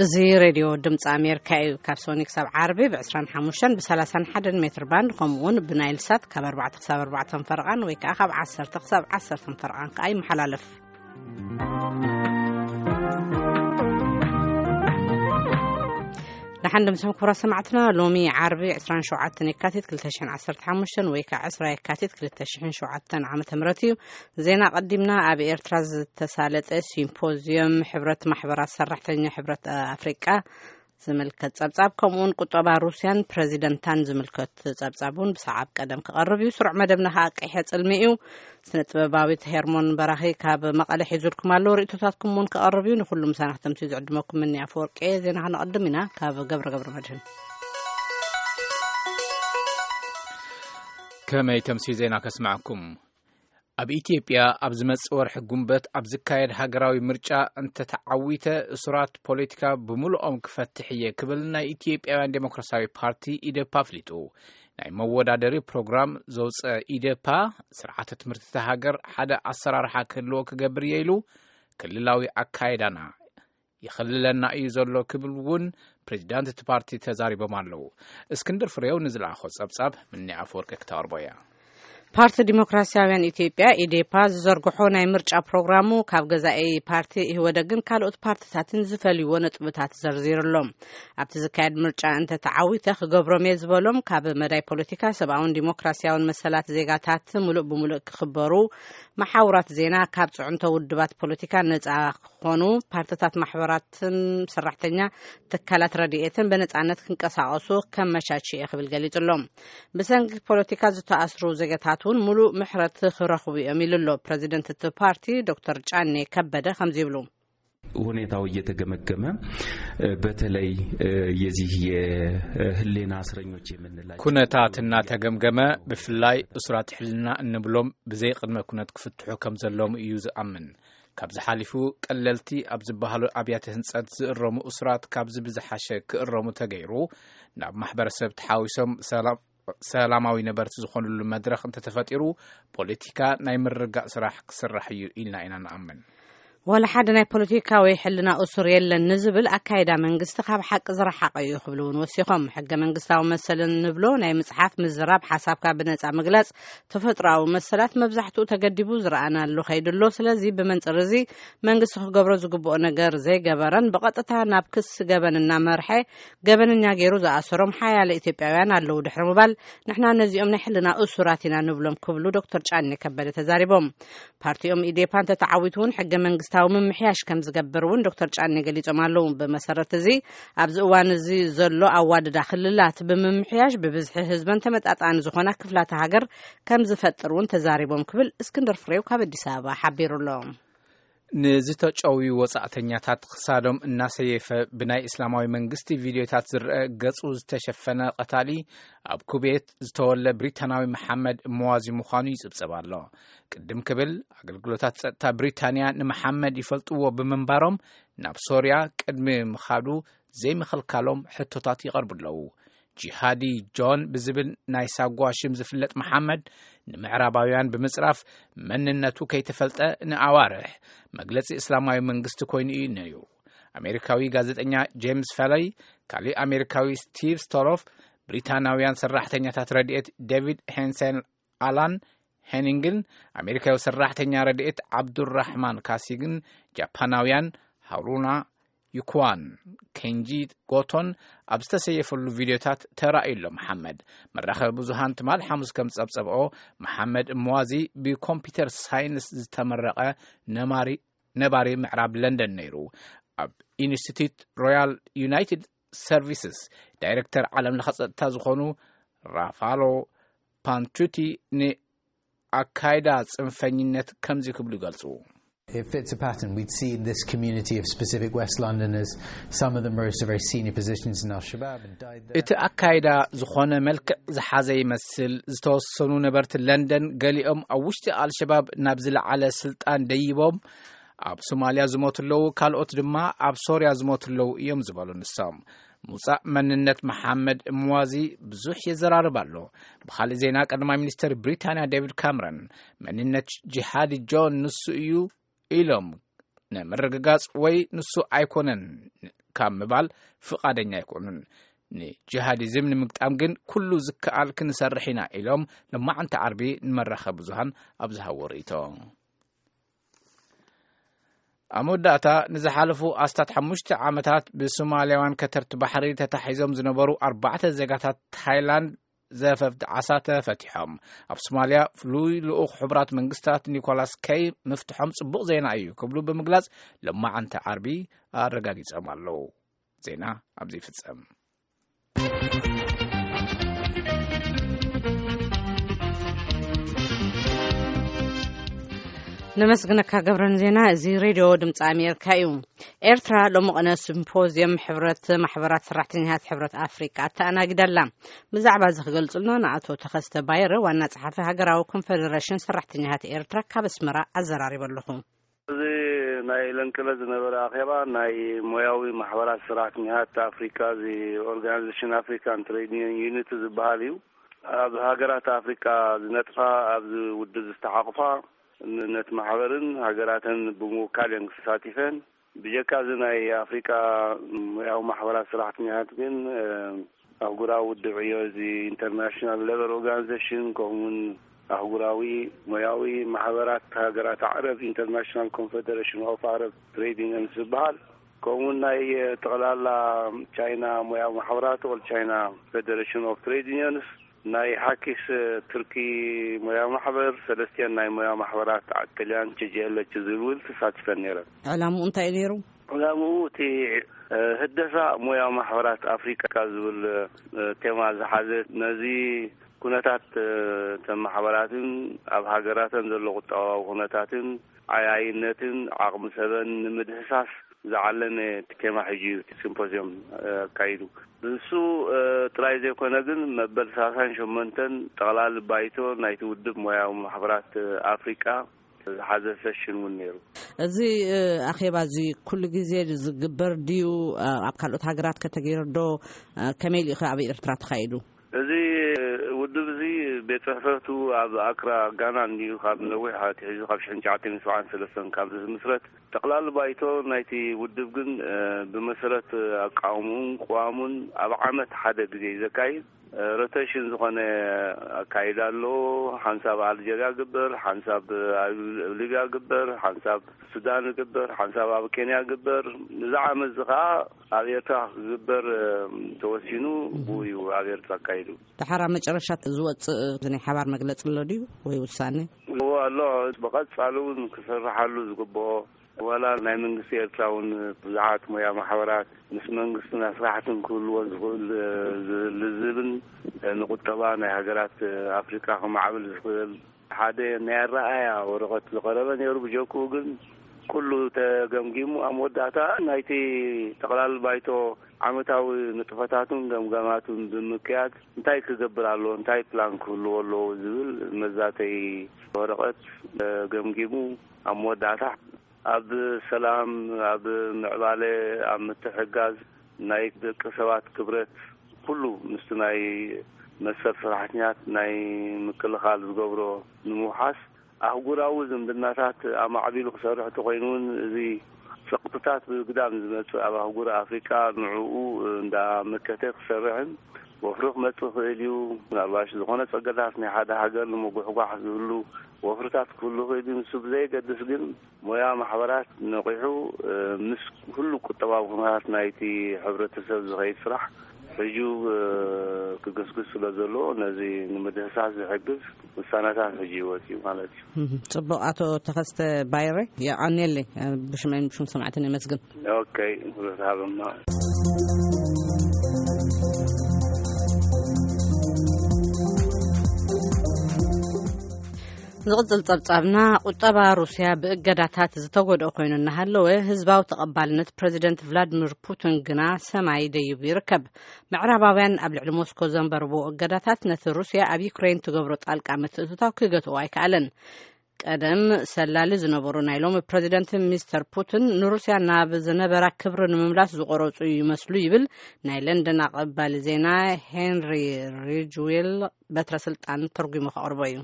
እዚ ሬድዮ ድምፂ ኣሜሪካ እዩ። ካብ ሶኒ ክሳብ ዓርቢ ብ25 ብ31 ሜትር ባንድ፣ ከምኡ እውን ብናይል ሳት ካብ ኣርባዕተ ክሳብ ኣርባዕተ ፈረቓን ወይ ከዓ ካብ ዓሰርተ ክሳብ ዓሰርተ ፈረቓን ከዓ ይመሓላለፍ። ደሓን ድምፅኹም ክቡራት ሰማዕትና። ሎሚ ዓርቢ 27 የካቲት 2015 ወይ ከዓ 20 የካቲት 2007 ዓመተ ምህረት እዩ። ዜና ቀዲምና። ኣብ ኤርትራ ዝተሳለጠ ሲምፖዚየም ሕብረት ማሕበራት ሰራሕተኛ ሕብረት ኣፍሪቃ ዝምልከት ጸብጻብ፣ ከምኡውን ቁጠባ ሩስያን ፕረዚደንታን ዝምልከት ጸብጻብ እውን ብሰዓብ ቀደም ክቐርብ እዩ። ስሩዕ መደብና ከዓ ቀይሐ ጽልሚ እዩ። ስነ ጥበባዊት ሄርሞን በራኺ ካብ መቐለ ሒዙልኩም ኣሎ። ርእቶታትኩም እውን ክቐርብ እዩ። ንኹሉ ምሳና ክተምስዩ ዝዕድመኩም ምኒ ኣፈወርቂ። ዜና ክነቐድም ኢና። ካብ ገብረ ገብረ መድህን። ከመይ ተምስዩ ዜና ከስማዕኩም? ኣብ ኢትዮጵያ ኣብ ዝመጽእ ወርሒ ጉንበት ኣብ ዝካየድ ሃገራዊ ምርጫ እንተተዓዊተ፣ እሱራት ፖለቲካ ብምሉኦም ክፈትሕ እየ ክብል ናይ ኢትዮጵያውያን ዴሞክራሲያዊ ፓርቲ፣ ኢዴፓ፣ ኣፍሊጡ። ናይ መወዳደሪ ፕሮግራም ዘውፀ ኢዴፓ፣ ስርዓተ ትምህርቲ እታ ሃገር ሓደ ኣሰራርሓ ክህልዎ ክገብር እየ ኢሉ፣ ክልላዊ ኣካይዳና ይኸልለና እዩ ዘሎ ክብል እውን ፕሬዚዳንት እቲ ፓርቲ ተዛሪቦም ኣለዉ። እስክንድር ፍሬው ንዝለኣኾ ጸብጻብ ምኒ ኣፈወርቂ ክተቕርቦ እያ። ፓርቲ ዲሞክራሲያውያን ኢትዮጵያ፣ ኢዴፓ፣ ዝዘርግሖ ናይ ምርጫ ፕሮግራሙ ካብ ገዛኢ ፓርቲ ኢህወደግን ካልኦት ፓርቲታትን ዝፈልይዎ ነጥብታት ዘርዚሩ ኣሎ። ኣብቲ ዝካየድ ምርጫ እንተተዓዊተ ክገብሮም እየ ዝበሎም፣ ካብ መዳይ ፖለቲካ፣ ሰብኣውን ዲሞክራሲያውን መሰላት ዜጋታት ምሉእ ብምሉእ ክኽበሩ፣ መሓውራት ዜና ካብ ጽዕንቶ ውድባት ፖለቲካ ነጻ ክኾኑ፣ ፓርቲታት፣ ማሕበራትን ሰራሕተኛ ትካላት ረድኤትን ብነጻነት ክንቀሳቐሱ ከመቻች እየ ክብል ገሊጹ ኣሎ። ብሰንኪ ፖለቲካ ዝተኣስሩ ዜጋታት እውን ሙሉእ ምሕረት ክረኽቡ እዮም ኢሉ ኣሎ ፕረዚደንት እቲ ፓርቲ ዶክተር ጫኔ ከበደ ከምዚ ይብሉ። ሁኔታው እየተገመገመ፣ በተለይ የዚህ የህሊና እስረኞች የምንላቸው ኩነታት እናተገምገመ፣ ብፍላይ እሱራት ሕልና እንብሎም ብዘይ ቅድመ ኩነት ክፍትሑ ከም ዘለዎም እዩ ዝኣምን። ካብዚ ሓሊፉ ቀለልቲ ኣብ ዝበሃሉ ኣብያተ ህንጸት ዝእረሙ እሱራት ካብዚ ብዝሓሸ ክእረሙ ተገይሩ፣ ናብ ማሕበረሰብ ተሓዊሶም ሰላም ሰላማዊ ነበርቲ ዝኾኑሉ መድረኽ እንተተፈጢሩ፣ ፖለቲካ ናይ ምርግጋእ ስራሕ ክስራሕ እዩ ኢልና ኢና ንኣምን። ዋላ ሓደ ናይ ፖለቲካ ወይ ሕልና እሱር የለን ንዝብል ኣካይዳ መንግስቲ ካብ ሓቂ ዝረሓቐ እዩ ክብሉ እውን ወሲኾም። ሕገ መንግስታዊ መሰልን ንብሎ ናይ ምጽሓፍ፣ ምዝራብ፣ ሓሳብካ ብነጻ ምግላጽ፣ ተፈጥሮኣዊ መሰላት መብዛሕትኡ ተገዲቡ ዝረኣናሉ ከይዱ ኣሎ። ስለዚ ብመንጽር እዚ መንግስቲ ክገብሮ ዝግብኦ ነገር ዘይገበረን ብቐጥታ ናብ ክሲ ገበን እናመርሐ ገበነኛ ገይሩ ዝኣሰሮም ሓያለ ኢትዮጵያውያን ኣለዉ ድሕሪ ምባል፣ ንሕና ነዚኦም ናይ ሕልና እሱራት ኢና ንብሎም ክብሉ ዶክተር ጫኔ ከበደ ተዛሪቦም። ፓርቲኦም ኢዴፓ እንተተዓዊቱ እውን ሕገ መንግስታዊ ምምሕያሽ ከም ዝገብር እውን ዶክተር ጫኔ ገሊጾም ኣለዉ። ብመሰረት እዚ ኣብዚ እዋን እዚ ዘሎ ኣዋድዳ ክልላት ብምምሕያሽ ብብዝሒ ህዝበን ተመጣጣኒ ዝኾና ክፍላተ ሃገር ከም ዝፈጥር እውን ተዛሪቦም ክብል እስክንድር ፍሬው ካብ ኣዲስ ኣበባ ሓቢሩ ኣሎ። ንዝተጨውዩ ወጻእተኛታት ክሳዶም እናሰየፈ ብናይ እስላማዊ መንግስቲ ቪድዮታት ዝረአ ገጹ ዝተሸፈነ ቀታሊ ኣብ ኩቤት ዝተወለ ብሪታናዊ መሓመድ እመዋዚ ምዃኑ ይጽብጸብ ኣሎ። ቅድም ክብል ኣገልግሎታት ጸጥታ ብሪታንያ ንመሓመድ ይፈልጥዎ ብምንባሮም ናብ ሶርያ ቅድሚ ምኻዱ ዘይምኽልካሎም ሕቶታት ይቐርቡ ኣለዉ። ጂሃዲ ጆን ብዝብል ናይ ሳጓ ሽም ዝፍለጥ መሓመድ ንምዕራባውያን ብምጽራፍ መንነቱ ከይተፈልጠ ንኣዋርሕ መግለጺ እስላማዊ መንግስቲ ኮይኑ እዩ ነይሩ። ኣሜሪካዊ ጋዜጠኛ ጄምስ ፈለይ፣ ካሊእ ኣሜሪካዊ ስቲቭ ስቶሮፍ፣ ብሪታናውያን ሰራሕተኛታት ረድኤት ዴቪድ ሄንሰን ኣላን ሄኒንግን ኣሜሪካዊ ሰራሕተኛ ረድኤት ዓብዱራሕማን ካሲግን ጃፓናውያን ሃሩና ዩኩዋን፣ ኬንጂ ጎቶን ኣብ ዝተሰየፈሉ ቪድዮታት ተራእዩ ኣሎ። መሓመድ መራኸቢ ብዙሃን ትማል ሓሙስ ከም ዝጸብጸብኦ፣ መሓመድ እመዋዚ ብኮምፒውተር ሳይንስ ዝተመረቐ ነማሪ ነባሪ ምዕራብ ለንደን ነይሩ። ኣብ ኢንስቲትዩት ሮያል ዩናይትድ ሰርቪስስ ዳይሬክተር ዓለም ለኸ ጸጥታ ዝኾኑ ራፋሎ ፓንቱቲ ንኣካይዳ ጽንፈኝነት ከምዚ ክብሉ ይገልጹ። It fits a pattern. We'd see in this community of specific West Londoners, some of them rose to very senior positions in Al-Shabaab and died there. እቲ ኣካይዳ ዝኾነ መልክዕ ዝሓዘ ይመስል። ዝተወሰኑ ነበርቲ ለንደን፣ ገሊኦም ኣብ ውሽጢ ኣልሸባብ ናብ ዝለዓለ ስልጣን ደይቦም ኣብ ሶማልያ ዝሞቱ ኣለዉ፣ ካልኦት ድማ ኣብ ሶርያ ዝሞቱ ኣለዉ እዮም ዝበሉ ንሶም። ምውጻእ መንነት መሓመድ እምዋዚ ብዙሕ የዘራርብ ኣሎ። ብኻልእ ዜና፣ ቀዳማይ ሚኒስተር ብሪታንያ ዴቪድ ካምረን፣ መንነት ጂሃዲ ጆን ንሱ እዩ ኢሎም ንምርግጋጽ ወይ ንሱ ኣይኮነን ካብ ምባል ፍቓደኛ ኣይኮኑን። ንጂሃዲዝም ንምግጣም ግን ኩሉ ዝከኣል ክንሰርሕ ኢና ኢሎም፣ ሎማዓንቲ ዓርቢ ንመራኸቢ ብዙሃን ኣብ ዝሃቦ ርእይቶ። ኣብ መወዳእታ፣ ንዝሓለፉ ኣስታት ሓሙሽተ ዓመታት ብሶማልያውያን ከተርቲ ባሕሪ ተታሒዞም ዝነበሩ ኣርባዕተ ዜጋታት ታይላንድ ዘፈፍቲ ዓሳ ተፈቲሖም። ኣብ ሶማልያ ፍሉይ ልኡኽ ሕቡራት መንግስታት ኒኮላስ ከይ ምፍትሖም ጽቡቕ ዜና እዩ ክብሉ ብምግላጽ፣ ሎማዓንቲ ዓርቢ ኣረጋጊጾም ኣለዉ። ዜና ኣብዚ ይፍጸም። ነመስግነካ ገብረን ዜና። እዚ ሬድዮ ድምፂ ኣሜሪካ እዩ። ኤርትራ ሎሚ ቅነ ሲምፖዝየም ሕብረት ማሕበራት ሰራሕተኛታት ሕብረት ኣፍሪቃ ኣተኣናጊዳ ኣላ። ብዛዕባ እዚ ክገልጹልና ንኣቶ ተኸስተ ባይረ፣ ዋና ጸሓፊ ሃገራዊ ኮንፈደሬሽን ሰራሕተኛታት ኤርትራ፣ ካብ ኣስመራ ኣዘራሪበ ኣለኹ። እዚ ናይ ለንቅለ ዝነበረ ኣኼባ ናይ ሞያዊ ማሕበራት ሰራሕተኛታት ኣፍሪካ፣ እዚ ኦርጋናይዜሽን ኣፍሪካን ትሬድ ዩኒት ዝበሃል እዩ። ኣብ ሃገራት ኣፍሪካ ዝነጥፋ፣ ኣብዚ ውድብ ዝተሓቕፋ፣ ነቲ ማሕበርን ሃገራተን ብምውካል እየን ተሳቲፈን። ብጀካ እዚ ናይ ኣፍሪካ ሞያዊ ማሕበራት ሰራሕተኛታት ግን፣ እ፣ ኣህጉራዊ ውድብ ዕዮ፣ እዚ ኢንተርናሽናል ሌበር ኦርጋናይዜሽን፣ ከምኡውን ኣህጉራዊ ሞያዊ ማሕበራት ሃገራት ኣዕረብ፣ ኢንተርናሽናል ኮንፌደሬሽን ኦፍ ኣረብ ትሬድ ዩኒየንስ ዝበሃል፣ ከምኡውን ናይ ጠቕላላ ቻይና ሞያዊ ማሕበራት፣ ኦል ቻይና ፌደሬሽን ኦፍ ትሬድ ዩኒየንስ፣ ናይ ሓኪስ ትርኪ ሞያዊ ማሕበር፣ ሰለስቲአን ናይ ሞያዊ ማሕበራት ጥልያን ቺ ጂ ኤል ኤች ዝብል ተሳቲፈን ነይረን። ዕላምኡ እንታይ እዩ ነይሩ? ዕላምኡ እቲ፣ እ፣ ህደሳ ሞያዊ ማሕበራት ኣፍሪቃ ዝብል፣ እ፣ ቴማ ዝሓዘ፣ ነዚ ኩነታት፣ እ፣ እተን ማሕበራትን ኣብ ሃገራተን ዘሎ ቁጠባዊ ኩነታትን ዓያይነትን ዓቕሚ ሰበን ንምድህሳስ ዝዓለመ ቴማ ሕጂ እዩ እቲ ሲምፖዝዮም፣ እ፣ ኣካይዱ። ንሱ፣ እ፣ ጥራይ ዘይኮነ ግን መበል ሰላሳን ሸሞንተን ጠቕላሊ ባይቶ ናይቲ ውድብ ሞያዊ ማሕበራት፣ እ፣ ኣፍሪቃ ዝሓዘ ሰሽን እውን ነይሩ። እዚ፣ እ፣ ኣኼባ እዚ ኩሉ ግዜ ዝግበር ድዩ? እ፣ ኣብ ካልኦት ሃገራት ከተገይሩ ዶ? እ፣ ከመይ ኢሉ ኢኸ ኣብ ኤርትራ ተኻይዱ? እዚ ውድብ እዚ ቤት ጽሕፈቱ ኣብ ኣክራ ጋና እንድዩ፣ ካብ ነዊሕ ኣትሒዙ ካብ ሽሕን ትሽዓተ ሚእትን ሰብዓን ሰለስተን ካብ ዝምስረት። ጠቕላሊ ባይቶ ናይቲ ውድብ ግን፣ እ፣ ብመሰረት ኣቃውምኡን ቅዋሙን ኣብ ዓመት ሓደ ግዜ እዩ ዘካይድ። እ፣ ሮቴሽን ዝኾነ ኣካይዳ ኣለዎ። ሓንሳብ ኣልጀርያ ግበር፣ ሓንሳብ ኣብ ሊብያ ግበር፣ ሓንሳብ ሱዳን ግበር፣ ሓንሳብ ኣብ ኬንያ ግበር። እዚ ዓመት እዚ ኸዓ ኣብ ኤርትራ ክግበር፣ እ፣ ተወሲኑ፣ እም። ብኡ እዩ ኣብ ኤርትራ ኣካይዱ። ደሓር ኣብ መጨረሻ ዝወፅእ ናይ ሓባር መግለፂ ኣሎ ድዩ ወይ ውሳኔ? እዎ ኣሎ። ብቐጻሊ እውን ክስርሓሉ ዝግብኦ፣ ዋላ ናይ መንግስቲ ኤርትራ እውን ብዙሓት ሞያ ማሕበራት ምስ መንግስትን ኣስራሕትን ክህልዎ ዝኽእል፣ እ፣ ዝ-፣ ልዝብን፣ እ፣ ንቁጠባ ናይ ሃገራት፣ እ፣ ኣፍሪቃ ክማዕብል ዝኽእል ሓደ ናይ ኣረኣእያ ወረቐት ዝቐረበ ነይሩ። ብጀክኡ ግን ኩሉ ተገምጊሙ ኣብ መወዳእታ ናይቲ ጠቕላሊ ባይቶ ዓመታዊ ንጥፈታቱን ገምጋማቱን ብምክያድ እንታይ ክገብር ኣለዎ፣ እንታይ ፕላን ክህልዎ ኣለዎ ዝብል መዛተይ ወረቐት፣ እ፣ ገምጊሙ ኣብ መወዳእታ ኣብ ሰላም፣ ኣብ ምዕባለ፣ ኣብ ምትሕጋዝ ናይ ደቂ ሰባት ክብረት ኩሉ ምስቲ ናይ መሰል ሰራሕተኛት ናይ ምክልኻል ዝገብሮ ንምውሓስ ኣህጉራዊ ዝምድናታት ኣማዕቢሉ ክሰርሕ እንተኾይኑ እውን፣ እዚ ጸቕጥታት ብግዳም ዝመጽእ ኣብ ኣህጉር ኣፍሪቃ ንዕኡ እንዳመከተ ክሰርሕን ወፍሪ ክመጽእ ይኽእል እዩ። ምናልባሽ ዝኾነ ጸገታት ናይ ሓደ ሃገር ንምጉሕጓሕ ዝህሉ ወፍርታት ክህሉ ይኽእል እዩ። ንሱ ብዘየገድስ ግን ሞያ ማሕበራት ነቒሑ፣ እ፣ ምስ ኩሉ ቁጠባዊ ኩነታት ናይቲ ሕብረተሰብ ዝኸይድ ስራሕ ሕጂ፣ እ፣ ክግስግስ ስለ ዘለዎ፣ ነዚ ንምድህሳስ ዝሕግዝ ውሳነታት ሕጂ ይወጽእ እዩ ማለት እዩ። እህ፣ ጽቡቕ። ኣቶ ተኸስተ ባይረ፣ የቐንየለይ፣ እ፣ ብሽመይን ብሽም ሰማዕትን የመስግን። ኦኬ፣ ርትሃብማ። ዝቕጽል ጸብጻብና፣ ቁጠባ ሩስያ ብእገዳታት ዝተጎድኦ ኮይኑ እናሃለወ፣ ህዝባዊ ተቐባልነት ፕረዚደንት ቭላድሚር ፑቲን ግና ሰማይ ደይቡ ይርከብ። ምዕራባውያን ኣብ ልዕሊ ሞስኮ ዘንበርብዎ እገዳታት፣ ነቲ ሩስያ ኣብ ዩክሬን ትገብሮ ጣልቃ ምትእትታው ክገትኦ ኣይከኣለን። ቀደም ሰላሊ ዝነበሩ ናይ ሎሚ ፕረዚደንት ሚስተር ፑቲን፣ ንሩስያ ናብ ዝነበራ ክብሪ ንምምላስ ዝቆረጹ ይመስሉ ይብል ናይ ለንደን ኣቐባሊ ዜና ሄንሪ ሪጅዌል በትረ ስልጣን ተርጉሙ ከቕርቦ እዩ።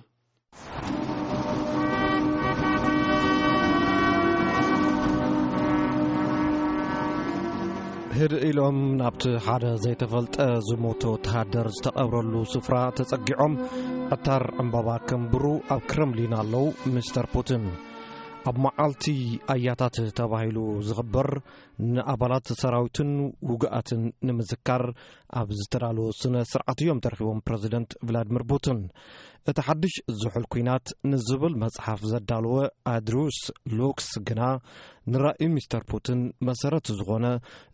ህድእ ኢሎም ናብቲ ሓደ ዘይተፈልጠ ዝሞተ ወተሃደር ዝተቐብረሉ ስፍራ ተጸጊዖም ዕታር ዕምባባ ከንብሩ ኣብ ክረምሊን ኣለዉ። ሚስተር ፑቲን ኣብ መዓልቲ ኣያታት ተባሂሉ ዝኽበር ንኣባላት ሰራዊትን ውጉኣትን ንምዝካር ኣብ ዝተዳለወ ስነ ስርዓት እዮም ተረኺቦም ፕረዚደንት ቭላድሚር ፑቲን። እቲ ሓድሽ ዝሑል ኲናት ንዝብል መጽሓፍ ዘዳለወ ኣድሩስ ሉክስ ግና ንራእዩ ሚስተር ፑቲን መሰረት ዝኾነ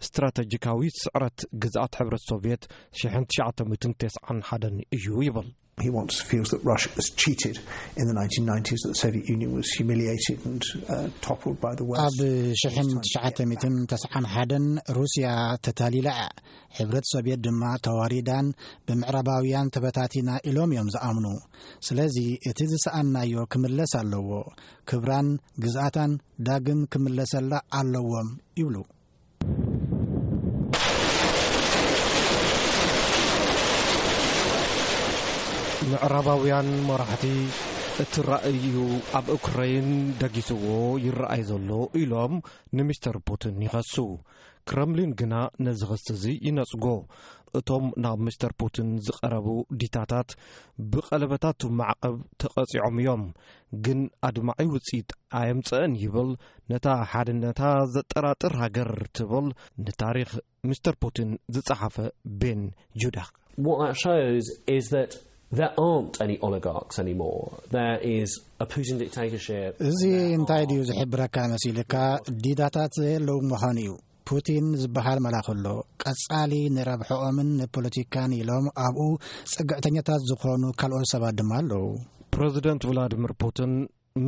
ስትራተጂካዊ ስዕረት ግዝኣት ሕብረት ሶቪየት ሽሕን ትሽዓተ ሚእትን ተስዓን ሓደን እዩ ይብል። He wants, feels that Russia was cheated in the nineteen nineties, that the Soviet Union was humiliated and uh, toppled by the West. ኣብ ሽሕን ትሽዓተ ሚእትን ተስዓን ሓደን ሩስያ ተታሊላ እያ። ሕብረት ሶቪየት ድማ ተዋሪዳን ብምዕራባውያን ተበታቲና ኢሎም እዮም ዝኣምኑ። ስለዚ እቲ ዝሰኣናዮ ክምለስ ኣለዎ። ክብራን ግዝኣታን ዳግም ክምለሰላ ኣለዎም ይብሉ። ምዕራባውያን መራሕቲ እቲ ራእይ እዩ ኣብ ኡክረይን ደጊስዎ ይረኣይ ዘሎ ኢሎም ንሚስተር ፑቲን ይኸሱ። ክረምሊን ግና ነዚ ክሲ እዚ ይነጽጎ። እቶም ናብ ሚስተር ፑቲን ዝቐረቡ ዲታታት ብቐለበታት ማዕቐብ ተቐጺዖም እዮም፣ ግን ኣድማዒ ውጽኢት ኣየምጸእን ይብል ነታ ሓድነታ ዘጠራጥር ሃገር ትብል ንታሪኽ ሚስተር ፑቲን ዝጸሓፈ ቤን ጁዳክ። What that shows is that there aren't any oligarchs anymore. There is a Putin dictatorship. እዚ እንታይ ድዩ ዝሕብረካ መሲልካ? ዲታታት የለዉ ምዃኑ እዩ። ፑቲን ዝበሃል መላኺ ኣሎ። ቀጻሊ ንረብሕኦምን ንፖለቲካን ኢሎም ኣብኡ ጽግዕተኛታት ዝኾኑ ካልኦት ሰባት ድማ ኣለዉ። ፕረዚደንት ቭላድሚር ፑቲን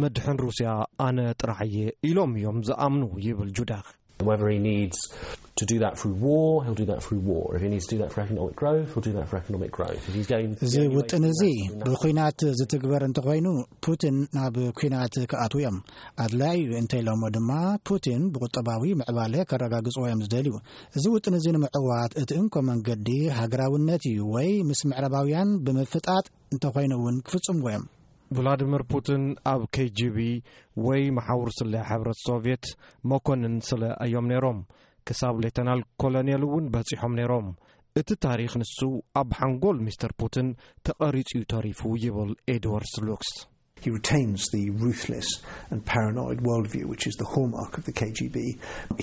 መድሕን ሩስያ ኣነ ጥራሕ እየ ኢሎም እዮም ዝኣምኑ ይብል ጁዳክ። Whether he needs to do that through war, he'll do that through war. If he needs to do that for economic growth, he'll do that for economic growth. If he's going to እዚ ውጥን እዚ ብኲናት ዝትግበር እንተኾይኑ ፑቲን ናብ ኲናት ክኣትዉ እዮም። ኣድላዩ እንተኢሎሞ ድማ ፑቲን ብቁጠባዊ ምዕባለ ከረጋግጽዎ እዮም ዝደልዩ። እዚ ውጥን እዚ ንምዕዋት እቲ እንኮ መንገዲ ሃገራውነት እዩ ወይ ምስ ምዕራባውያን ብምፍጣጥ እንተኾይኑ እውን ክፍጽምዎ እዮም። ቭላድሚር ፑቲን ኣብ ኬ ጂ ቢ ወይ መሓውር ስለ ሕብረት ሶቪየት መኮንን ስለ እዮም ነይሮም። ክሳብ ሌተናል ኮሎኔል እውን በጺሖም ነይሮም። እቲ ታሪኽ ንሱ ኣብ ሓንጎል ሚስተር ፑቲን ተቐሪጹ እዩ ተሪፉ ይብል ኤድዋርድ ሉክስ። He retains the ruthless and paranoid worldview, which is the hallmark of the K G B.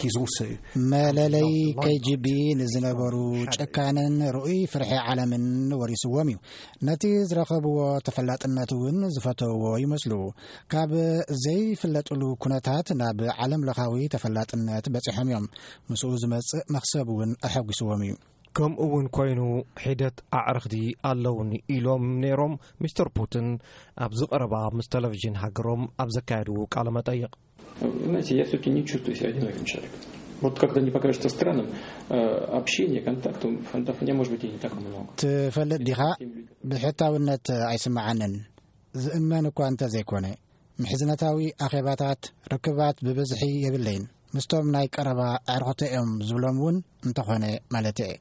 He's also መለለይ ኬ ጂ ቢ ንዝነበሩ ጨካንን ርኡይ ፍርሒ ዓለምን ወሪስዎም እዩ። ነቲ ዝረኸብዎ ተፈላጥነት እውን ዝፈተውዎ ይመስሉ። ካብ ዘይፍለጥሉ ኩነታት ናብ ዓለም ለኻዊ ተፈላጥነት በጺሖም እዮም። ምስኡ ዝመጽእ መኽሰብ እውን ኣሐጒስዎም እዩ። ከምኡ እውን ኮይኑ ሒደት ኣዕርኽቲ ኣለውኒ ኢሎም ነይሮም ሚስተር ፑቲን ኣብዚ ቀረባ ምስ ቴሌቪዥን ሃገሮም ኣብ ዘካየድዎ ቃለ መጠይቕ። Знаете, я все-таки не чувствую себя одиноким человеком. Вот как-то не покажется странным, э, общение, контакт, фронтов у меня, может быть, и не так много. ትፈልጥ ዲኻ? ብሕታውነት ኣይስምዓንን። ዝእመን እኳ እንተዘይኮነ፣ ምሕዝነታዊ ኣኼባታት፣ ርክባት ብብዝሒ የብለይን። ምስቶም ናይ ቀረባ ኣዕርኽቶ እዮም ዝብሎም እውን እንተኾነ ማለት እየ።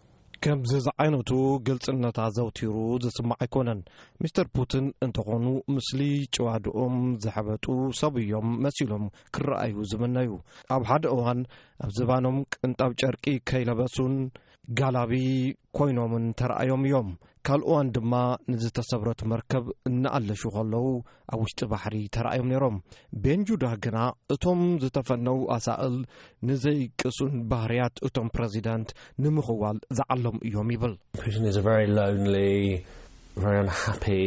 ከምዚ ዝዓይነቱ ግልጽነት ኣዘውቲሩ ዝስማዕ ኣይኮነን። ሚስተር ፑቲን እንተኾኑ፣ ምስሊ ጭዋድኦም ዝሐበጡ ሰብ እዮም መሲሎም ክረኣዩ ዝምነዩ። ኣብ ሓደ እዋን ኣብ ዝባኖም ቅንጣብ ጨርቂ ከይለበሱን ጋላቢ ኮይኖምን ተራእዮም እዮም። ካልእ እዋን ድማ ንዝተሰብረት መርከብ እናኣለሹ ከለዉ ኣብ ውሽጢ ባሕሪ ተራእዮም ነይሮም። ቤንጁዳ ግና እቶም ዝተፈነዉ ኣሳእል ንዘይቅሱን ባህርያት እቶም ፕረዚደንት ንምኽዋል ዝዓለሙ እዮም ይብል። Putin is a very lonely, very unhappy,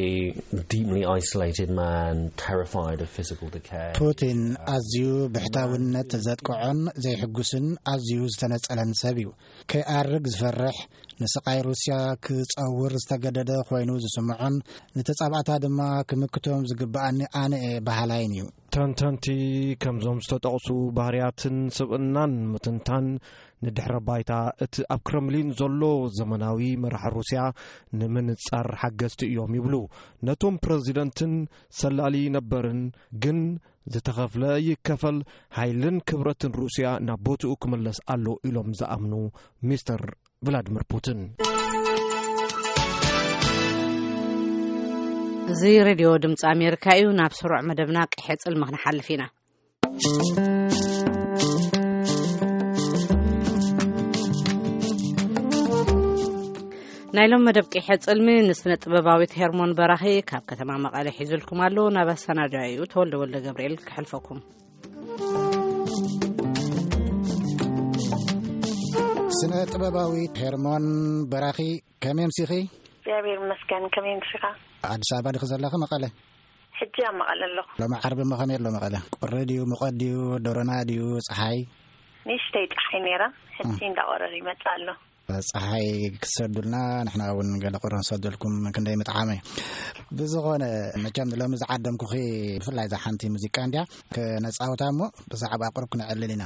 deeply isolated man, terrified of physical decay. ፑቲን ኣዝዩ ብሕታውነት ዘጥቅዖን ዘይሕጉስን ኣዝዩ ዝተነጸለን ሰብ እዩ። ከይኣርግ ዝፈርሕ፣ ንስቓይ ሩስያ ክጸውር ዝተገደደ ኮይኑ ዝስምዖን፣ ንተጻባእታ ድማ ክምክቶም ዝግብኣኒ ኣነ እየ በሃላይን እዩ። ተንተንቲ ከምዞም ዝተጠቕሱ ባህርያትን ስብእናን ምትንታን ንድሕረ ባይታ እቲ ኣብ ክረምሊን ዘሎ ዘመናዊ መራሒ ሩስያ ንምንጻር ሓገዝቲ እዮም ይብሉ። ነቶም ፕረዚደንትን ሰላሊ ነበርን ግን ዝተኸፍለ ይከፈል፣ ሓይልን ክብረትን ሩስያ ናብ ቦትኡ ክምለስ ኣሎ ኢሎም ዝኣምኑ ሚስተር ቭላድሚር ፑቲን። እዚ ሬድዮ ድምፂ ኣሜሪካ እዩ። ናብ ስሩዕ መደብና ቀይሕ ጽልሚ ክንሓልፍ ኢና። ናይ ሎም መደብ ቂሐ ጽልሚ ንስነ ጥበባዊት ሄርሞን በራኺ ካብ ከተማ መቐለ ሒዙልኩም ኣሎ። ናብ ኣሰናዳኢኡ ተወልደ ወልደ ገብርኤል ክሕልፈኩም። ስነ ጥበባዊት ሄርሞን በራኺ፣ ከመይ ኣምሲኺ? እግዚኣብሔር ይመስገን። ከመይ ኣምሲኻ? ኣዲስ ኣበባ ዲኺ ዘለኺ? መቐለ። ሕጂ ኣብ መቐለ ኣለኹ። ሎሚ ዓርቢ እሞ ከመይ ኣሎ መቐለ? ቁሪ ድዩ፣ ሙቐት ድዩ፣ ደሮና ድዩ፣ ጸሓይ? ንእሽተይ ጸሓይ ነይራ፣ ሕጂ እም። እንዳቆረረ ይመጽእ ኣሎ። ጸሓይ ክትሰዱልና፣ ንሕና እውን ገለ ቁሪ ንሰደልኩም፣ ክንደይ ምጥዓመ። ብዝኾነ፣ መቸም ሎሚ ዝዓደምኩኺ ብፍላይ እዛ ሓንቲ ሙዚቃ እንድያ፣ ክነጻውታ እሞ ብዛዕባ ቁሩብ ክነዕልል ኢና።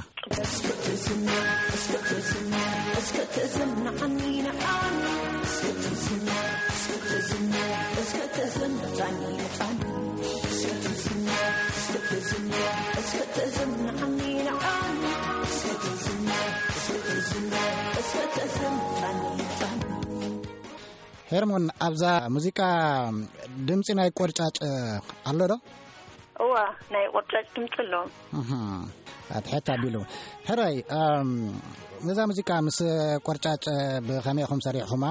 ሄርሞን፣ ኣብዛ ሙዚቃ ድምጺ ናይ ቆርጫጭ ኣሎ ዶ? እዋ፣ ናይ ቆርጫጭ ድምጺ ኣሎ። እህ፣ ኣትሕት ኣቢሉ። ሕራይ፣ እም፣ ነዛ ሙዚቃ ምስ ቆርጫጭ ብኸመይ ኢኹም ሰሪሕኹማ?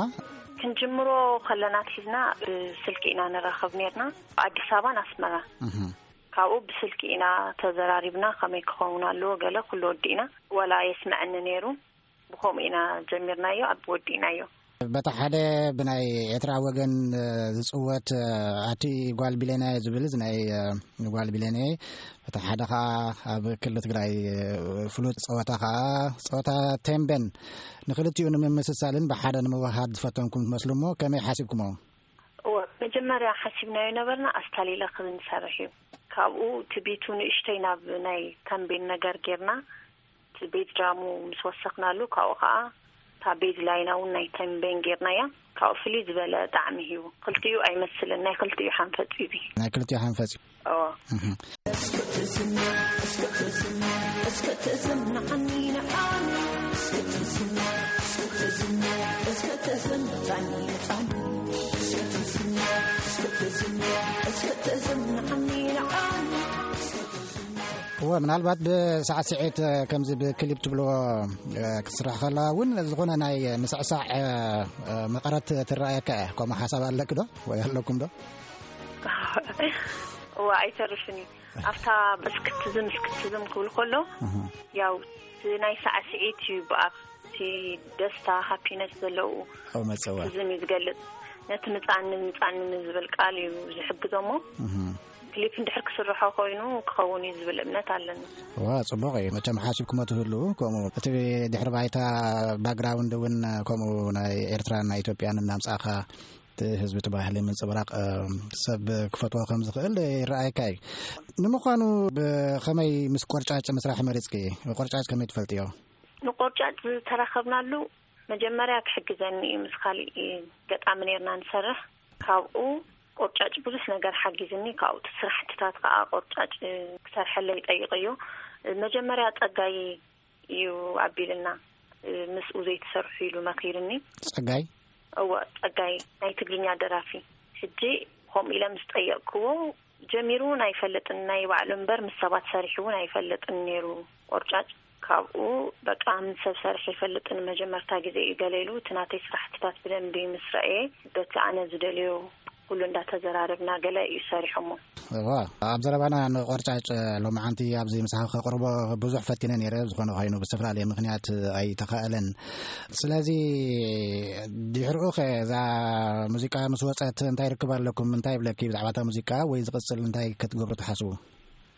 ክንጅምሮ ከለና ኣትሒዝና ብስልኪ ኢና ንራኸብ ኔርና፣ ኣዲስ ኣበባን ኣስመራ። እህ። ካብኡ ብስልኪ ኢና ተዘራሪብና፣ ከመይ ክኸውን ኣለዎ፣ ገለ ኩሉ ወዲእና። ወላ የስምዐኒ ነይሩ፣ ብኸምኡ ኢና ጀሚርናዮ፣ ኣብ ወዲእናዮ። በታ ሓደ ብናይ ኤርትራ ወገን፣ እ፣ ዝጽወት፣ እ፣ ኣቲ ጓል ቢሌናየ ዝብል፣ እዚ ናይ፣ እ፣ ጓል ቢሌናየ፣ በታ ሓደ ኸኣ ኣብ ክልል ትግራይ፣ እ፣ ፍሉጥ ጸወታ ኸኣ ጸወታ ቴምቤን፣ ንክልቲኡ ንምምስሳልን ብሓደ ንምውሃድ ዝፈተንኩም ትመስሉ እሞ፣ ከመይ ሓሲብኩሞ? እወ፣ መጀመርያ ሓሲብናዮ ነበርና ኣስታሊለ ክንሰርሕ እዩ። ካብኡ እቲ ቢቱ ንእሽተይ ናብ ናይ ተምቤን ነገር ጌርና፣ እቲ ቤዝ ድራሙ ምስ ወሰኽናሉ፣ ካብኡ ኸዓ እታ ቤዝ ላይና እውን ናይ ተምቤን ጌርናያ። ካብኡ ፍልይ ዝበለ ጣዕሚ ሂቡ። ክልቲኡ ኣይመስልን፣ ናይ ክልቲኡ ሓንፈጽ እዩ እዚ። ናይ ክልቲኡ ሓንፈጽ እዩ። እወ። እህ። እወ፣ ምናልባት ብሳዕስዒት፣ እ፣ ከምዚ ብክሊፕ ትብልዎ፣ እ፣ ክትስራሕ ከላ እውን ዝኾነ ናይ ምስዕሳዕ፣ እ፣ እ፣ መቐረት ትረኣየካ እያ። ከምኡ ሓሳብ ኣለኪ ዶ? ወይ ኣለኩም ዶ? እወ፣ ኣይተርፍን እዩ። ኣብታ ብስክትዝም፣ ስክትዝም ክብል ከሎ፣ እህ። ያው፣ እቲ ናይ ሳዕስዒት እዩ ብኣፍ፣ እቲ ደስታ፣ ሃፒነስ ዘለዉ ኣው መጸዋ። ስክትዝም እዩ ዝገልጽ። ነቲ ምጻኒ፣ ምጻኒ ንዝብል ቃል እዩ ዝሕግዞ እሞ፣ እህ። ክሊፕ እንድሕር ክስርሖ ኮይኑ ክኸውን እዩ ዝብል እምነት ኣለኒ። ዋ፣ ጽቡቕ እዩ። መቸም ሓሲብኩሞ ትህልዉ፣ ከምኡ እቲ ድሕሪ ባይታ ባክግራውንድ እውን ከምኡ ናይ ኤርትራን ናይ ኢትዮጵያን እናምጻእኻ እቲ ህዝቢ እቲ ባህሊ ምንጽብራቕ፣ እ፣ ሰብ ክፈትዎ ከም ዝኽእል ይረኣየካ እዩ። ንምዃኑ ብኸመይ ምስ ቆርጫጭ ምስራሕ መሪጽኪ? ቆርጫጭ ከመይ ትፈልጥዮ? ንቆርጫጭ ዝተራኸብናሉ መጀመርያ ክሕግዘኒ እዩ። ምስ ካሊእ ገጣሚ ኔርና ንሰርሕ። ካብኡ ቆርጫጭ ብዙሕ ነገር ሓጊዝኒ። ካብኡ እቲ ስራሕትታት ከዓ ቆርጫጭ ክሰርሐለይ ጠይቀዮ። መጀመርያ ጸጋይ እዩ ኣቢልና፣ ምስኡ ዘይትሰርሑ ኢሉ መኺርኒ። ጸጋይ? እወ፣ ጸጋይ ናይ ትግርኛ ደራፊ። ሕጂ ከምኡ ኢለ ምስ ጠየቅክዎ፣ ጀሚሩ እውን ኣይፈልጥን፣ ናይ ባዕሉ እምበር ምስ ሰባት ሰሪሑ እውን ኣይፈልጥን ነይሩ ቆርጫጭ። ካብኡ በቃ ምስ ሰብ ሰሪሐ ኣይፈልጥን፣ መጀመርታ ግዜ እዩ ገለ ኢሉ፣ እቲ ናተይ ስራሕትታት ብደንቢ ምስ ረኣየ፣ በቲ ኣነ ዝደልዮ ኩሉ እንዳተዘራረብና ገለ እዩ ሰሪሖሞ። እዋ፣ ኣብ ዘረባና ንቆርጫጭ ሎማዓንቲ ኣብዚ ምሳኻ ከቕርቦ ብዙሕ ፈቲነ ነይረ፣ ዝኾነ ኮይኑ ብዝተፈላለየ ምኽንያት ኣይተኻእለን። ስለዚ ድሕሪኡ ኸ እዛ ሙዚቃ ምስ ወጸት እንታይ ርክብ ኣለኩም? እንታይ ይብለኪ ብዛዕባ እታ ሙዚቃ ወይ ዝቕጽል እንታይ ክትገብሩ ትሓስቡ?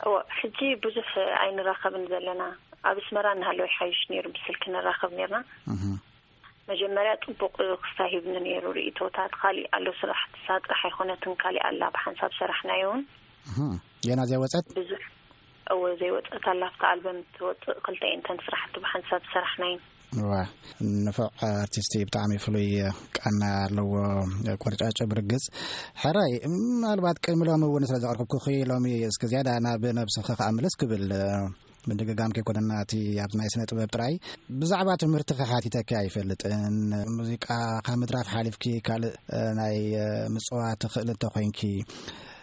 እወ፣ ሕጂ ብዙሕ ኣይንራኸብን ዘለና። ኣብ ኣስመራ እናሃለወ ይሓይሽ ነይሩ፣ ብስልኪ ንራኸብ ነይርና። እህ። መጀመርያ ጽቡቕ ክስታይ ሂብኒ ነይሩ ርእይቶታት። ካሊእ ኣሎ ስራሕትሳ ጥራሕ ኣይኮነትን፣ ካሊእ ኣላ ብሓንሳብ ሰራሕናዮ እውን። እህ። ገና ዘይወጸት? ብዙሕ፣ እወ፣ ዘይወጸት ኣላ። ኣብታ ኣልበም ትወጽእ ክልተ እየን እተን ስራሕቲ ብሓንሳብ ዝሰራሕናየን። እዋ፣ ንፉዕ ኣርቲስቲ፣ ብጣዕሚ ፍሉይ ቃና ኣለዎ ቆርጫጭ ብርግጽ። ሕራይ፣ ምናልባት ቅድሚ ሎሚ እውን ስለ ዘቕረብኩኺ፣ ሎሚ እስከ ዝያዳ ናብ ነብስኺ ከኣ ምልስ ክብል፣ ምድግጋም ከይኮነና፣ እቲ ኣብ ናይ ስነ ጥበብ ጥራይ። ብዛዕባ ትምህርትኺ ሓቲተኪ ኣይፈልጥን። ሙዚቃ ካብ ምድራፍ ሓሊፍኪ ካልእ፣ እ፣ ናይ፣ እ፣ ምጽዋት ትኽእሊ እንተኾይንኪ፣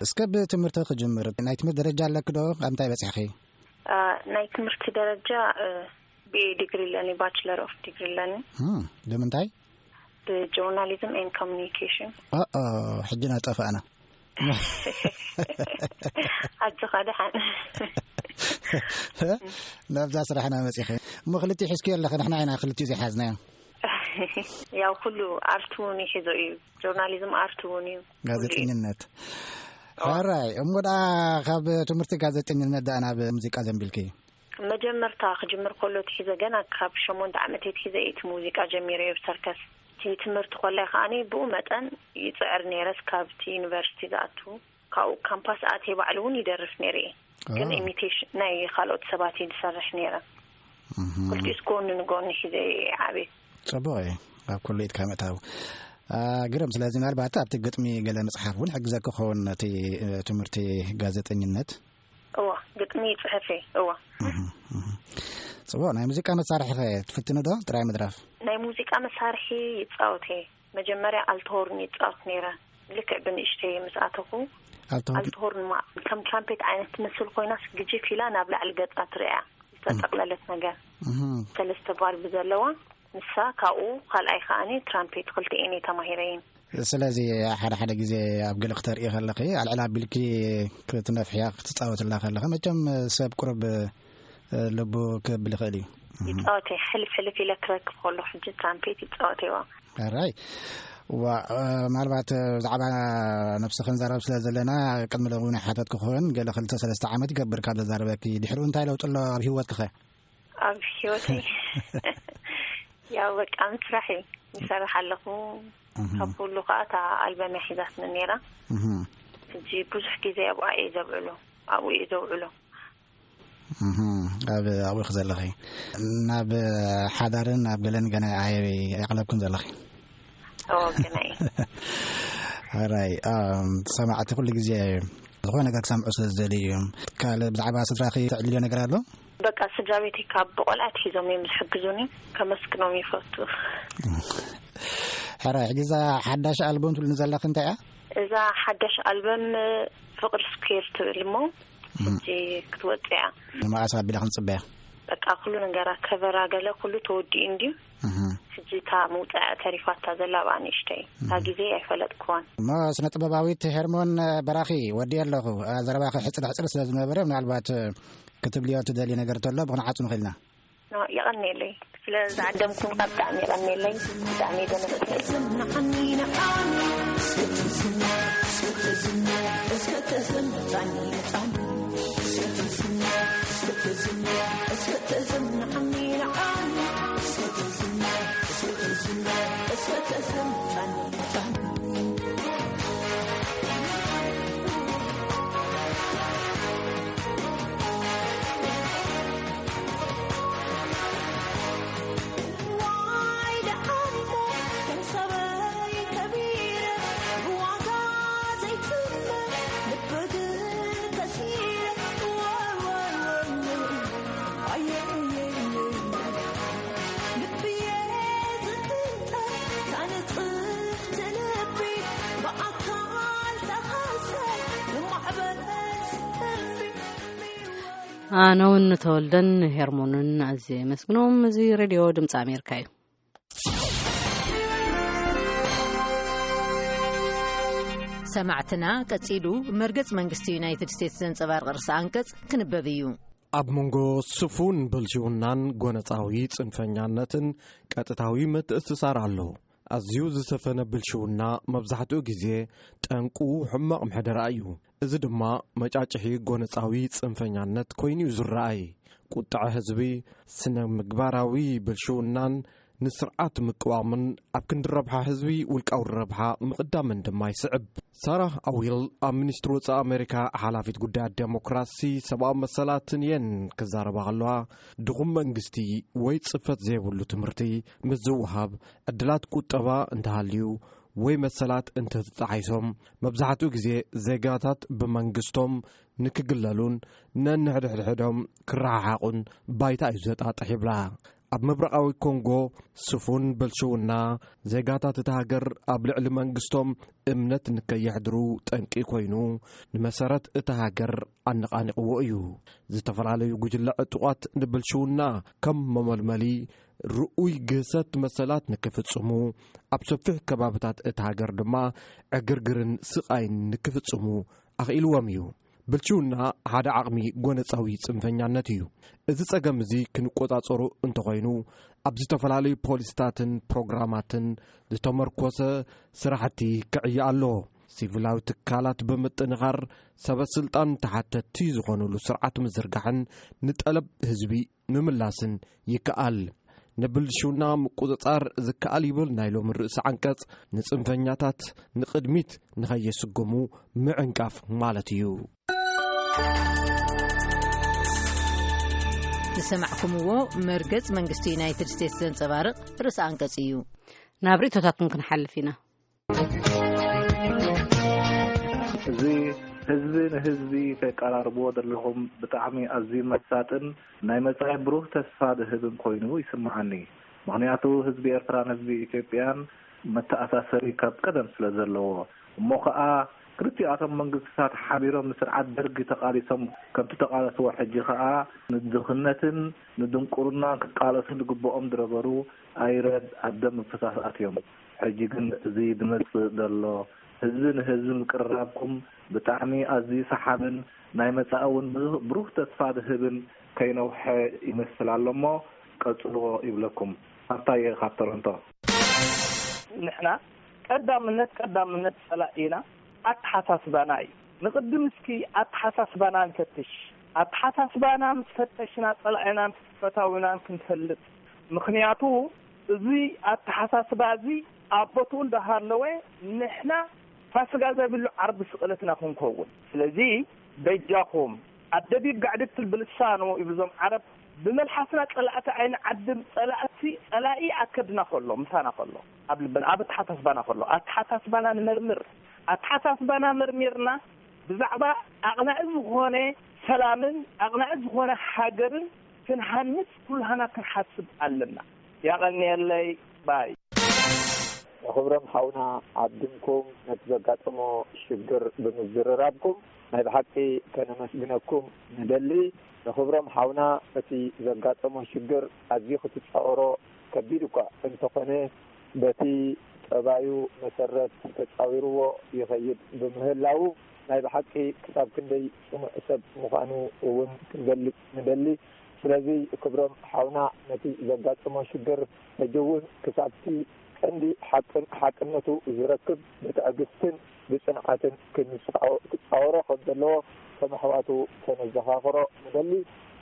እስከ ብትምህርቲ ክጅምር። ናይ ትምህርቲ ደረጃ ኣለኪ ዶ? ኣብ እንታይ በጺሕኺ? እ፣ ናይ ትምህርቲ ደረጃ፣ እ፣ ቢ ኤ ዲግሪ ኣለኒ፣ ባችለር ኦፍ ዲግሪ ኣለኒ። እም፣ ብምንታይ? ብጆርናሊዝም ኤን ኮሚኒኬሽን። ኣኣ፣ ሕጂ ናጠፋእና። ኣጆኻ ደሓን። ናብዛ ስራሕና መጺኸ። እሞ ክልቲኡ ሒዝክዮ ኣለኸ፣ ንሕና ኢና ክልቲኡ ዘይሓዝናዮ። ያው ኩሉ ኣርት እውን ይሕዞ እዩ። ጆርናሊዝም ኣርት እውን እዩ። ጋዜጠኝነት። ሕራይ፣ እሞ ደኣ ካብ ትምህርቲ ጋዜጠኝነት ደኣ ናብ ሙዚቃ ዘንቢልኪ? መጀመርታ ክጅምር ከሎ ትሒዘ፣ ገና ካብ ሸሞንተ ዓመት ትሒዘ እቲ ሙዚቃ ጀሚረ እየ ብሰርከስ። እቲ ትምህርቲ ኮላይ ከዓኒ ብኡ መጠን ይጽዕር ነይረስ ካብቲ ዩኒቨርሲቲ ዝኣቱ ካብኡ ካምፓስ ኣትየ ባዕሉ እውን ይደርፍ ነይረ እየ። ግን ኢሚቴሽን ናይ ካልኦት ሰባት እየ ዝሰርሕ ነይረ። ክልቲኡስ ጎኒ ንጎኒ ሒዘ እየ ዓብየ። ጽቡቕ እዩ። ኣብ ኩሉ ኢድካ ምእታው ግርም። ስለዚ ምናልባት ኣብቲ ግጥሚ ገለ ምጽሓፍ እውን ሕግዘኪ ክኸውን ነቲ ትምህርቲ ጋዜጠኝነት። እዋ፣ ግጥሚ ይጽሕፍ እየ። እዋ። ጽቡቕ። ናይ ሙዚቃ መሳርሒ ኸ ትፍትኒ ዶ? ጥራይ ምድራፍ? ናይ ሙዚቃ መሳርሒ ይጻወት እየ። መጀመርያ ኣልትሆርን ይጻወት ነይረ። ልክዕ ብንእሽተይ ምስ ኣተኹ ኣልትሆርን? ኣልትሆርን ማ-፣ ከም ትራምፔት ዓይነት ትመስል ኮይናስ ግጅፍ ኢላ ናብ ላዕሊ ገጻ ትርእያ ዝተጠቕለለት ነገር። ሰለስተ ቫልቭ ዘለዋ ንሳ ካብኡ ካልኣይ ከዓኒ ትራምፔት ክልቲኤን እየ ተማሂረይን። ስለዚ ሓደ ሓደ ግዜ ኣብ ገለ ክተርኢ ከለኺ ኣልዕል ኣቢልኪ ክትነፍሕያ ክትጻወትላ ከለኺ መቸም ሰብ ቁሩብ ልቡ ክብል ይኽእል እዩ። ይጻወት እየ። ሕልፍ ሕልፍ ኢለ ክረክብ ከሎ ሕጂ ትራምፔት ይጻወት እየዋ። ሕራይ። ዋ፣ ምናልባት ብዛዕባ ነብስኺ ክንዛረብ ስለ ዘለና ቅድሚ ሎሚ እውን ሓተትኩ ክኸውን ገለ ክልተ ሰለስተ ዓመት ይገብር ካብ ዘዛረበኪ። ድሕሪኡ እንታይ ለውጢ ኣሎ ኣብ ህይወትኪ ኸ? ኣብ ህይወተይ ያው በቃ ምስራሕ እዩ። ይሰርሕ ኣለኹ። ካብ ኩሉ ከዓ እታ ኣልበም እያ ሒዛትኒ ነይራ። ሕጂ ብዙሕ ግዜ ኣብኣ እየ ዘብዕሎ። ኣብኡ እየ ዘውዕሎ። ኣብ ኣብኡ ዘለኺ ናብ ሓዳርን ኣብ ገለን ገና ኣየቀለብክን ዘለኺ? ኦ ገና እየ። ሕራይ። ሰማዕቲ ኩሉ ግዜ ዝኾነ ነገር ክሰምዑ ስለ ዝደልዩ እዮም። ካልእ ብዛዕባ ስድራኺ ተዕልልዮ ነገር ኣሎ? በቃ ስድራ ቤተይ ካብ ብቆልዓ ኣትሒዞም እዮም ዝሕግዙኒ። ከመስግኖም ይፈቱ። ሕራይ። ሕጂ እዛ ሓዳሽ ኣልበም ትብልኒ ዘለኺ እንታይ እያ? እዛ ሓዳሽ ኣልበም ፍቅር ስኩዌር ትብል እሞ ሕጂ ክትወጽእ እያ። ንመዓስ ኣቢላ ክንጽበያ? በቃ ኩሉ ነገራ ከቨራ ገለ ኩሉ ተወዲኡ እንድዩ። ሕጂ እታ ምውጻእ ተሪፋታ ዘላ ብኣ ንእሽተይ እታ ግዜ ኣይፈለጥኩዋን። እሞ ስነ ጥበባዊት ሄርሞን በራኺ ወዲ ኣለኹ። ዘረባኺ ሕጽር ሕጽር ስለ ዝነበረ ምናልባት ክትብልዮ ትደልዩ ነገር ተሎ ብክንዓጹ ንኽእልና። የቐንየለይ ስለ ዝዓደምኩም ብጣዕሚ የቐንየለይ። ብጣዕሚ ደነስኩ። ኣነ እውን ንተወልደን ንሄርሞንን ኣዝየ የመስግኖም። እዚ ሬድዮ ድምፂ ኣሜሪካ እዩ። ሰማዕትና፣ ቀጺሉ መርገጽ መንግስቲ ዩናይትድ ስቴትስ ዘንጸባርቕ ርእሰ ኣንቀጽ ክንበብ እዩ። ኣብ መንጎ ስፉን ብልሽውናን ጎነጻዊ ጽንፈኛነትን ቀጥታዊ ምትእስሳር ኣሎ። ኣዝዩ ዝሰፈነ ብልሽውና መብዛሕትኡ ግዜ ጠንቁ ሕማቕ ምሕደራ እዩ። እዚ ድማ መጫጭሒ ጎነጻዊ ጽንፈኛነት ኮይኑ እዩ ዝረኣይ። ቁጥዐ ህዝቢ፣ ስነ ምግባራዊ ብልሽውናን ንስርዓት ምቅዋምን ኣብ ክንዲ ረብሓ ህዝቢ ውልቃዊ ረብሓ ምቕዳምን ድማ ይስዕብ። ሳራ ኣዊል ኣብ ሚኒስትሪ ወጻኢ ኣሜሪካ ሓላፊት ጉዳያት ዴሞክራሲ ሰብኣዊ መሰላትን እየን ክዛረባ ከለዋ፣ ድኹም መንግስቲ ወይ ጽፈት ዘይብሉ ትምህርቲ ምስ ዝወሃብ፣ ዕድላት ቁጠባ እንተሃልዩ ወይ መሰላት እንተተጣሒሶም፣ መብዛሕትኡ ግዜ ዜጋታት ብመንግስቶም ንክግለሉን ነንሕድሕዶም ክረሓሓቑን ባይታ እዩ ዘጣጥሕ ይብላ። ኣብ ምብራቓዊ ኮንጎ ስፉን ብልሽውና ዜጋታት እታ ሃገር ኣብ ልዕሊ መንግስቶም እምነት ንከየሕድሩ ጠንቂ ኮይኑ፣ ንመሰረት እታ ሃገር ኣነቓኒቕዎ እዩ። ዝተፈላለዩ ጉጅለ ዕጡቓት ንብልሽውና ከም መመልመሊ ርኡይ ግህሰት መሰላት ንክፍጽሙ፣ ኣብ ሰፊሕ ከባብታት እታ ሃገር ድማ ዕግርግርን ስቓይን ንክፍጽሙ ኣኽኢልዎም እዩ። ብልሽውና ሓደ ዓቕሚ ጎነጻዊ ጽንፈኛነት እዩ። እዚ ጸገም እዚ ክንቆጻጸሩ እንተኾይኑ፣ ኣብ ዝተፈላለዩ ፖሊስታትን ፕሮግራማትን ዝተመርኮሰ ስራሕቲ ክዕየ ኣለዎ። ሲቪላዊ ትካላት ብምጥንኻር፣ ሰበ ስልጣን ተሓተትቲ ዝኾኑሉ ስርዓት ምዝርጋሕን ንጠለብ ህዝቢ ምምላስን ይከኣል። ንብልሽውና ምቁጽጻር ዝከኣል ይብል ናይ ሎሚ ርእሲ ዓንቀጽ፣ ንጽንፈኛታት ንቕድሚት ንኸየስግሙ ምዕንቃፍ ማለት እዩ። ዝሰማዕኩምዎ መርገጽ መንግስቲ ዩናይትድ ስቴትስ ዘንጸባርቕ ርእሲ ኣንቀጽ እዩ። ናብ ርእይቶታትን ክንሓልፍ ኢና። እዚ ህዝቢ ንህዝቢ ተቀራርብዎ ዘለኹም ብጣዕሚ ኣዝዩ መሳጥን ናይ መጻኢ ብሩህ ተስፋ ዝህብን ኮይኑ ይስምዓኒ። ምኽንያቱ ህዝቢ ኤርትራን ህዝቢ ኢትዮጵያን መተኣሳሰሪ ካብ ቀደም ስለ ዘለዎ፣ እሞ ኸኣ ክልቲኣቶም መንግስትታት ሓቢሮም ንስርዓት ደርጊ ተቓሊሶም ከምቲ ተቓለስዎ፣ ሕጂ ኸኣ ንድኽነትን ንድንቁርናን ክቃለሱ ዝግብኦም ዝነበሩ ኣይረድ ኣብ ደም ምፍሳስ ኣትዮም። ሕጂ ግን እዚ ዝመጽእ ዘሎ ህዝቢ ንህዝቢ ምቅርራብኩም ብጣዕሚ ኣዝዩ ሰሓብን ናይ መጻኢ እውን ብዙ-፣ ብሩህ ተስፋ ዝህብን ከይነውሐ ይመስል ኣሎ እሞ ቀጽልዎ ይብለኩም። ሃብታየ ካብ ቶሮንቶ። ንሕና ቀዳምነት ቀዳምነት ጸላኢና ኣተሓሳስባና እዩ። ንቕድም እስኪ ኣተሓሳስባና ንፈትሽ። ኣተሓሳስባና ምስ ፈተሽና ጸላኢናን ፈታዊናን ክንፈልጥ። ምኽንያቱ እዚ ኣተሓሳስባ እዚ ኣብ ቦትኡ እንዳሃለወ ንሕና ፋስጋ ዘይብሉ ዓርቢ ስቕለትና ክንከውን። ስለዚ በጃኹም ኣደቢብ ጋዕድትል ብልሳኑ ይብሉ እዞም ዓረብ፣ ብመልሓስና ጸላእቲ ኣይንዓድም፣ ጸላእቲ ጸላኢ ኣከድና ከሎ ምሳና ከሎ ኣብ ልብና ኣብ ኣተሓሳስባና ከሎ ኣተሓሳስባና ንመርምር። ኣተሓሳስባና መርሚርና ብዛዕባ ኣቕናኢ ዝኾነ ሰላምን ኣቕናኢ ዝኾነ ሃገርን ክንሃንጽ ኩላህና ክንሓስብ ኣለና። ያቐንየለይ ባይ። ንኽብሮም ሓውና ዓድምኩም ነቲ ዘጋጠሞ ሽግር ብምዝርራብኩም ናይ ብሓቂ ከነመስግነኩም ንደሊ። ንኽብሮም ሓውና እቲ ዘጋጠሞ ሽግር ኣዝዩ ክትጻወሮ ከቢድ እኳ እንተኾነ በቲ ጠባዩ መሰረት ተጻዊርዎ ይኸይድ ብምህላዉ ናይ ብሓቂ ክሳብ ክንደይ ጽኑዕ ሰብ ምዃኑ እውን ክንገልጽ ንደሊ። ስለዚ ክብሮም ሓውና ነቲ ዘጋጠሞ ሽግር ሕጂ እውን ክሳብቲ ቀንዲ ሓቅን ሓቅነቱ ዝረክብ ብትዕግስትን ብጽንዓትን ክንጻወ- ክጻወሮ ከም ዘለዎ ከም ኣሕዋቱ ከነዘኻኽሮ ንደሊ።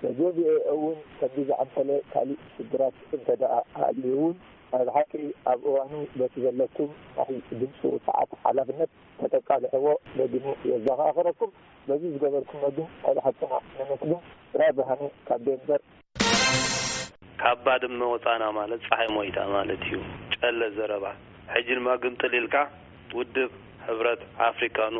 በዚ ቪኦኤ እውን ከምዚ ዝኣምሰለ ካሊእ ሽግራት እንተ ደኣ ኣልዩ እውን ናይ ብሓቂ ኣብ እዋኑ በቲ ዘለኩም ናይ ድምፂ ውፅዓት ሓላፍነት ከተቃልሕዎ ደጊሙ የዘኻኽረኩም። በዚ ዝገበርኩሞ ግን ናይ ብሓቅና ነመስግን። ጥራይ ብርሃነ ካብ ዴንቨር። ካብ ባድመ ወፃና ማለት ፀሓይ ሞይታ ማለት እዩ። ጨለ ዘረባ። ሕጂ ድማ ግምጥል ኢልካ ውድብ ሕብረት ኣፍሪካ ን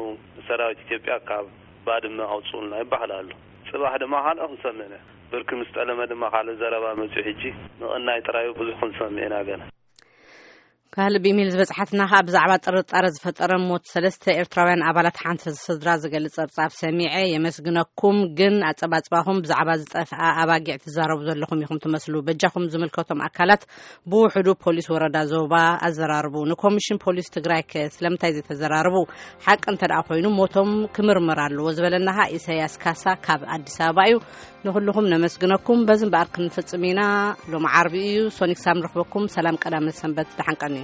ሰራዊት ኢትዮጵያ ካብ ባድመ ኣውፅኡልና ይበሃል ኣሎ። ፅባሕ ድማ ካልኦ ክንሰምዕ ኢና። ብርኪ ምስ ጠለመ ድማ ካልእ ዘረባ መፅዩ። ሕጂ ምቕናይ ጥራዩ ብዙሕ ክንሰምዕ ኢና ገና። ካልእ ብኢሜይል ዝበጽሓትና ከኣ ብዛዕባ ጥርጣረ ዝፈጠረ ሞት ሰለስተ ኤርትራውያን ኣባላት ሓንቲ ስድራ ዝገልጽ ጸብጻብ ሰሚዐ የመስግነኩም፣ ግን ኣጸባጽባኹም ብዛዕባ ዝጠፍኣ ኣባጊዕ ትዛረቡ ዘለኹም ኢኹም ትመስሉ። በጃኹም ዝምልከቶም ኣካላት ብውሕዱ ፖሊስ ወረዳ ዞባ ኣዘራርቡ። ንኮሚሽን ፖሊስ ትግራይ ከ ስለምንታይ ዘይተዘራርቡ? ሓቂ እንተ ደኣ ኮይኑ ሞቶም ክምርመር ኣለዎ ዝበለና ከኣ ኢሳያስ ካሳ ካብ ኣዲስ ኣበባ እዩ። ንኹልኹም ነመስግነኩም። በዚ እምበኣር ክንፍጽም ኢና። ሎሚ ዓርቢ እዩ። ሶኒክ ሳም ንረኽበኩም። ሰላም ቀዳመ ሰንበት። ደሓን ቀንዩ።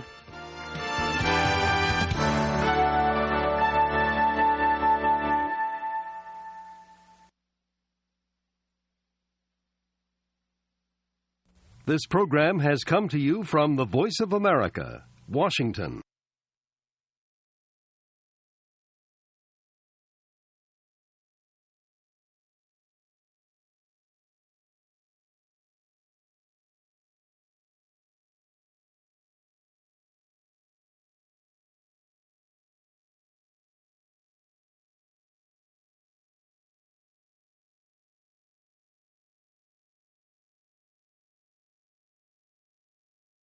This program has come to you from the Voice of America, Washington.